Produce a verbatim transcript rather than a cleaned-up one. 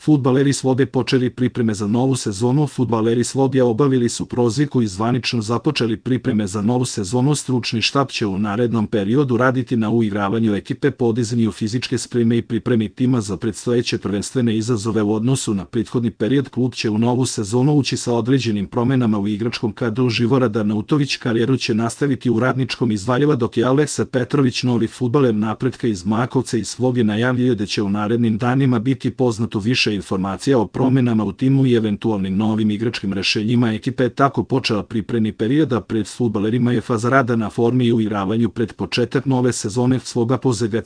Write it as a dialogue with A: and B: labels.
A: Fudbaleri Slobe počeli pripreme za novu sezonu. Fudbaleri Slobija obavili su prozivku i zvanično započeli pripreme za novu sezonu. Stručni štab će u narednom periodu raditi na uigravanju ekipe, podizanju fizičke spreme i pripremi tima za predstojeće prvenstvene izazove u odnosu na prethodni period. Klub će u novu sezonu ući sa određenim promenama u igračkom kadru. Živorad Arnautović karijeru će nastaviti u Radničkom iz Valjeva, dok je Aleksa Petrović, novi fudbaler Napretka iz Makovca i Slobije, najavljuje da će u narednim danima biti poznato više informacija o promenama u timu i eventualnim novim igračkim rešenjima. Ekipa je tako počela pripremni period, a pred fudbalerima je faza rada na formi i uigravanju pred početak nove sezone. Sloga Požega.